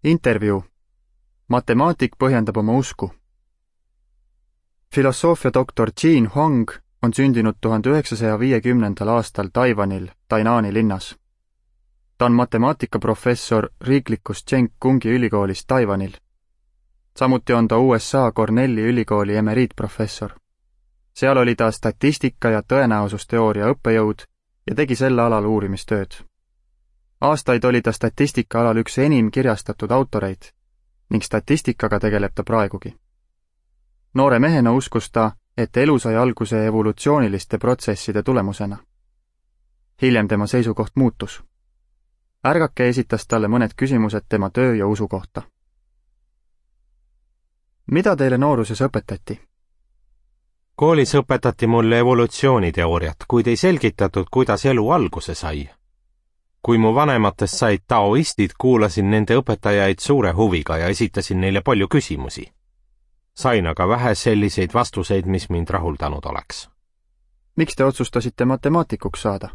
Intervjuu. Matemaatik põhjendab oma usku. Filosoofiadoktor Jean Huang on sündinud 1950. aastal Taiwanil, Tainani linnas. Ta on matemaatikaprofessor riiklikus Chengkungi ülikoolis Taiwanil. Samuti on ta USA Cornelli ülikooli emeriitprofessor. Seal oli ta statistika ja tõenäosusteooria õppejõud ja tegi selle alal uurimistööd. Aastaid oli ta statistika alal üks enim kirjastatud autoreid ning statistikaga tegeleb ta praegugi. Noore mehena uskus ta, et elu sai alguse evolutsiooniliste protsesside tulemusena. Hiljem tema seisukoht muutus. Ärgake esitas talle mõned küsimused tema töö ja usu kohta. Mida teile nooruses õpetati? Koolis õpetati mulle evolutsiooniteooriat, kuid ei selgitatud, kuidas elu alguse sai. Kui mu vanematest said taoistid, kuulasin nende õpetajaid suure huviga ja esitasin neile palju küsimusi. Sain aga vähe selliseid vastuseid, mis mind rahuldanud oleks. Miks te otsustasite matemaatikuks saada?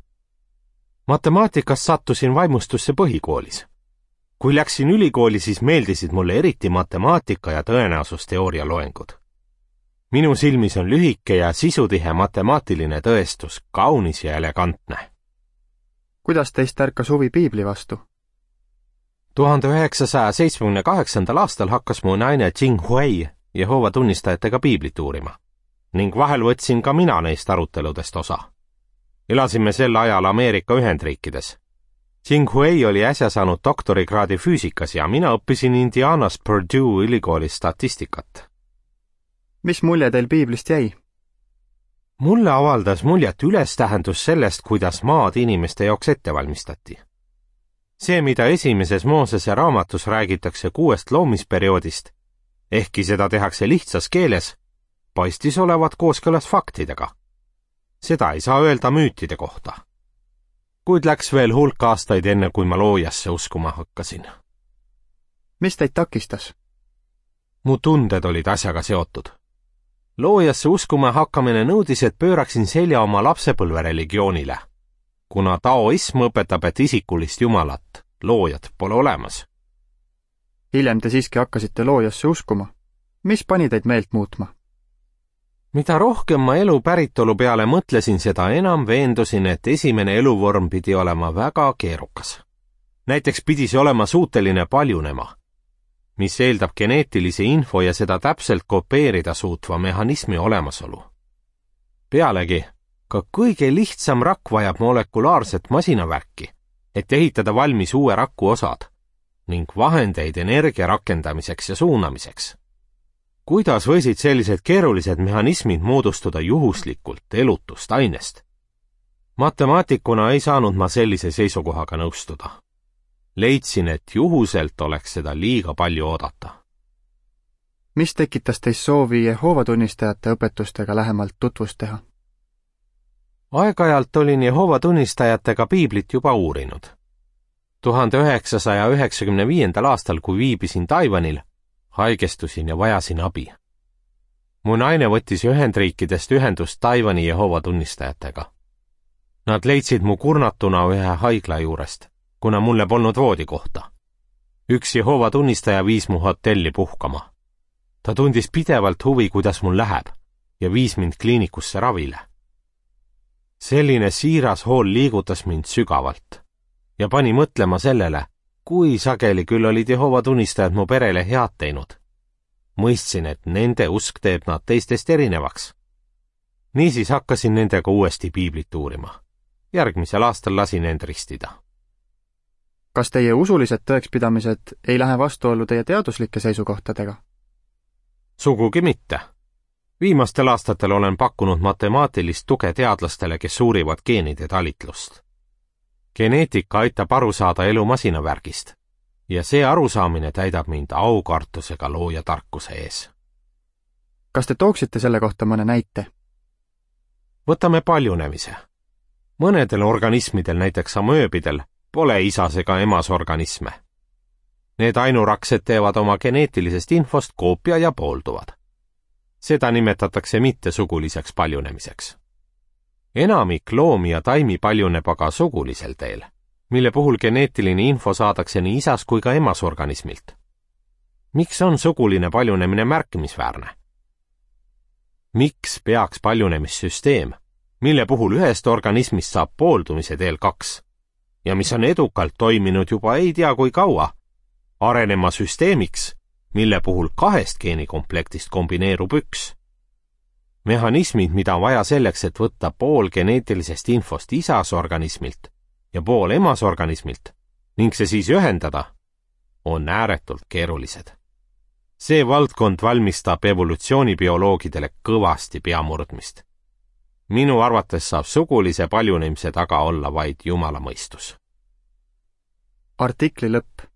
Matemaatikast sattusin vaimustusse põhikoolis. Kui läksin ülikooli, siis meeldisid mulle eriti matemaatika ja tõenäosusteooria loengud. Minu silmis on lühike ja sisutihe matemaatiline tõestus, kaunis ja elegantne. Kuidas teist ärkas huvi piibli vastu? 1978. aastal hakkas mu naine Jing Hui Jehoova tunnistajatega piiblit uurima ning vahel võtsin ka mina neist aruteludest osa. Elasime sel ajal Ameerika Ühendriikides. Jing Hui oli äsja saanud doktorikraadi füüsikas ja mina õppisin Indianas Purdue ülikoolis statistikat. Mis mulje teil piiblist jäi? Mulle avaldas muljet ülestähendus sellest, kuidas maad inimeste jaoks ette valmistati. See, mida esimeses Moosese raamatus räägitakse 6 loomisperioodist, ehkki seda tehakse lihtsas keeles, paistis olevat kooskõlas faktidega. Seda ei saa öelda müütide kohta. Kuid läks veel hulk aastaid enne, kui ma loojasse uskuma hakkasin. Mis teid takistas? Mu tunded olid asjaga seotud. Loojasse uskuma hakkamine nõudis, et pööraksin selja oma lapsepõlvereligioonile, kuna taoism õpetab, et isikulist jumalat, loojat, pole olemas. Hiljem te siiski hakkasite loojasse uskuma. Mis pani teid meelt muutma? Mida rohkem ma elu päritolu peale mõtlesin, seda enam veendusin, et esimene eluvorm pidi olema väga keerukas. Näiteks pidi see olema suuteline paljunema, mis eeldab geneetilise info ja seda täpselt kopeerida suutva mehhanismi olemasolu. Pealegi, ka kõige lihtsam rakk vajab molekulaarset masinavärki, et ehitada valmis uue raku osad ning vahendeid energia rakendamiseks ja suunamiseks. Kuidas võisid sellised keerulised mehhanismid moodustuda juhuslikult elutust ainest? Matemaatikuna ei saanud ma sellise seisukohaga nõustuda. Leidsin, et juhuselt oleks seda liiga palju oodata. Mis tekitas teist soovi Jehoova tunnistajate õpetustega lähemalt tutvust teha? Aeg-ajalt olin Jehoova tunnistajatega piiblit juba uurinud. 1995. aastal, kui viibisin Taiwanil, haigestusin ja vajasin abi. Mu naine võttis Ühendriikidest ühendust Taiwani Jehoova tunnistajatega. Nad leidsid mu kurnatuna ühe haigla juurest, kuna mulle polnud voodikohta. Üks Jehoova tunnistaja viis mu hotelli puhkama. Ta tundis pidevalt huvi, kuidas mul läheb, ja viis mind kliinikusse ravile. Selline siiras hool liigutas mind sügavalt ja pani mõtlema sellele, kui sageli küll olid Jehoova tunnistajad mu perele head teinud. Mõistsin, et nende usk teeb nad teistest erinevaks. Niisiis hakkasin nendega uuesti piiblit uurima. Järgmisel aastal lasin end ristida. Kas teie usulised tõekspidamised ei lähe vastuollu teie teaduslike seisukohtadega? Sugugi mitte. Viimastel aastatel olen pakkunud matemaatilist tuge teadlastele, kes uurivad geenide talitlust. Geneetika aitab aru saada elu masinavärgist ja see arusaamine täidab mind aukartusega looja tarkuse ees. Kas te tooksite selle kohta mõne näite? Võtame paljunemise. Mõnedel organismidel, näiteks amööbidel, pole isas ega emas organisme. Need ainuraksed teevad oma geneetilisest infost koopia ja poolduvad. Seda nimetatakse mittesuguliseks paljunemiseks. Enamik loomi ja taimi paljuneb aga sugulisel teel, mille puhul geneetiline info saadakse nii isas kui ka emas organismilt. miks on suguline paljunemine märkimisväärne? Miks peaks paljunemissüsteem, mille puhul ühest organismist saab pooldumise teel 2 ja mis on edukalt toiminud juba ei tea kui kaua, arenema süsteemiks, mille puhul 2 geenikomplektist kombineerub 1? Mehhanismid, mida on vaja selleks, et võtta pool geneetilisest infost isasorganismilt ja pool emasorganismilt ning see siis ühendada, on ääretult keerulised. See valdkond valmistab evolutsioonibioloogidele kõvasti peamurdmist. Minu arvates saab sugulise paljunemise taga olla vaid Jumala mõistus. Artikli lõpp.